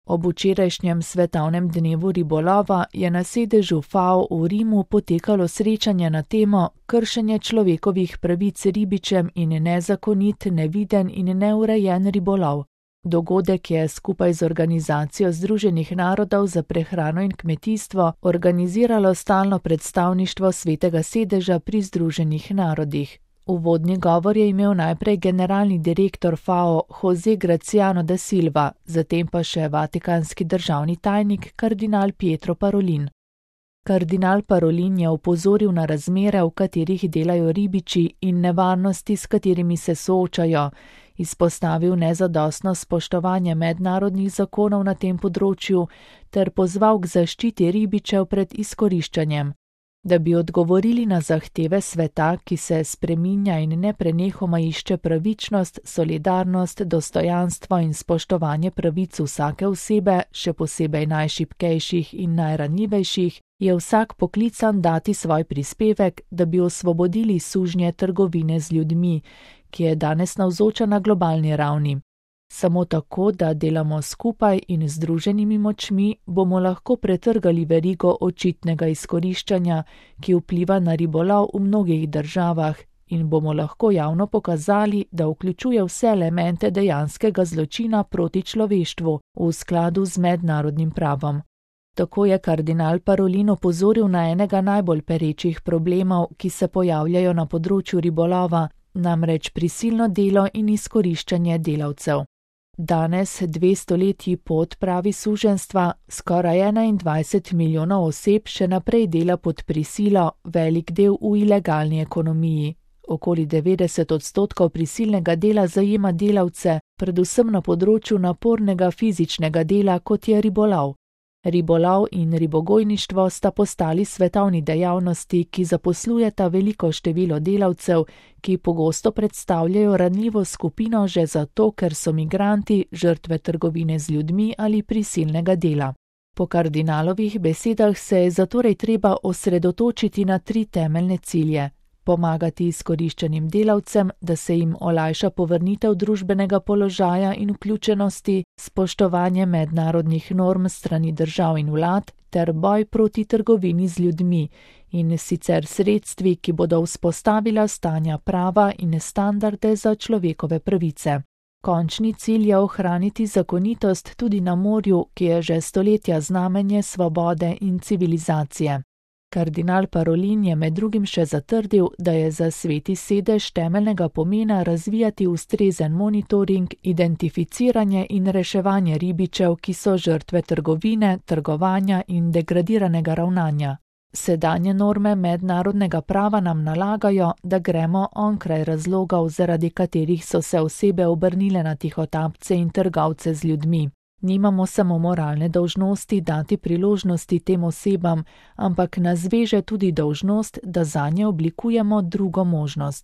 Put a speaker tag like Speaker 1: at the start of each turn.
Speaker 1: Ob včerajšnjem svetovnem dnevu ribolova je na sedežu FAO v Rimu potekalo srečanje na temo kršenje človekovih pravic ribičem in nezakonit, neviden in neurejen ribolov. Dogodek je skupaj z Organizacijo Združenih narodov za prehrano in kmetijstvo organiziralo stalno predstavništvo Svetega sedeža pri Združenih narodih. Uvodni govor je imel najprej generalni direktor FAO José Graciano da Silva, zatem pa še vatikanski državni tajnik kardinal Pietro Parolin. Kardinal Parolin je opozoril na razmere, v katerih delajo ribiči in nevarnosti, s katerimi se soočajo, izpostavil nezadostno spoštovanje mednarodnih zakonov na tem področju ter pozval k zaščiti ribičev pred izkoriščanjem. Da bi odgovorili na zahteve sveta, ki se spreminja in neprenehoma išče pravičnost, solidarnost, dostojanstvo in spoštovanje pravic vsake osebe, še posebej najšibkejših in najranljivejših, je vsak poklican dati svoj prispevek, da bi osvobodili sužnje trgovine z ljudmi, ki je danes navzoča na globalni ravni. Samo tako, da delamo skupaj in združenimi močmi, bomo lahko pretrgali verigo očitnega izkoriščanja, ki vpliva na ribolov v mnogih državah, in bomo lahko javno pokazali, da vključuje vse elemente dejanskega zločina proti človeštvu v skladu z mednarodnim pravom. Tako je kardinal Parolin opozoril na enega najbolj perečih problemov, ki se pojavljajo na področju ribolova, namreč prisilno delo in izkoriščanje delavcev. Danes, 2 stoletji po odpravi suženjstva, skoraj 21 milijonov oseb še naprej dela pod prisilo, velik del v ilegalni ekonomiji. Okoli 90% prisilnega dela zajema delavce, predvsem na področju napornega fizičnega dela, kot je ribolov. Ribolov in ribogojništvo sta postali svetovni dejavnosti, ki zaposlujeta veliko število delavcev, ki pogosto predstavljajo ranljivo skupino že zato, ker so migranti, žrtve trgovine z ljudmi ali prisilnega dela. Po kardinalovih besedah se je zatorej treba osredotočiti na 3 temeljne cilje. Pomagati izkoriščenim delavcem, da se jim olajša povrnitev družbenega položaja in vključenosti, spoštovanje mednarodnih norm strani držav in vlad ter boj proti trgovini z ljudmi in sicer sredstvi, ki bodo vzpostavila stanja prava in standarde za človekove pravice. Končni cilj je ohraniti zakonitost tudi na morju, ki je že stoletja znamenje svobode in civilizacije. Kardinal Parolin je med drugim še zatrdil, da je za Sveti sedež temeljnega pomena razvijati ustrezen monitoring, identificiranje in reševanje ribičev, ki so žrtve trgovine, trgovanja in degradiranega ravnanja. Sedanje norme mednarodnega prava nam nalagajo, da gremo onkraj razlogov, zaradi katerih so se osebe obrnile na tihotapce in trgovce z ljudmi. Nimamo samo moralne dolžnosti dati priložnosti tem osebam, ampak nas veže tudi dolžnost, da zanje oblikujemo drugo možnost.